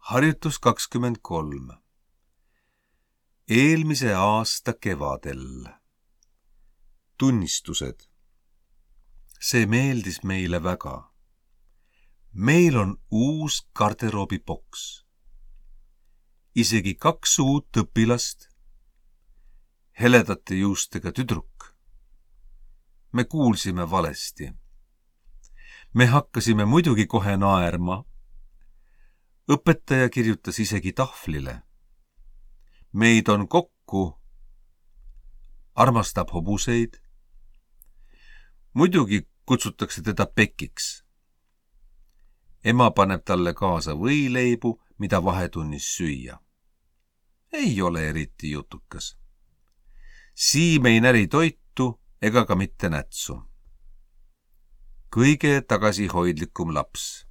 Harjutus 23. Eelmise aasta kevadel. Tunnistused. See meeldis meile väga. Meil on uus garderoobiboks. Isegi 2 uut õpilast. Heledate juustega tüdruk. Me kuulsime valesti. Me hakkasime muidugi kohe naerma. Õpetaja kirjutas isegi tahvlile. Meid on kokku. Armastab hobuseid. Muidugi kutsutakse teda Pekiks. Ema paneb talle kaasa võileibu, mida vahetunnis süüa. Ei ole eriti jutukas. Siim ei näri toitu ega ka mitte nätsu. Kõige tagasihoidlikum laps.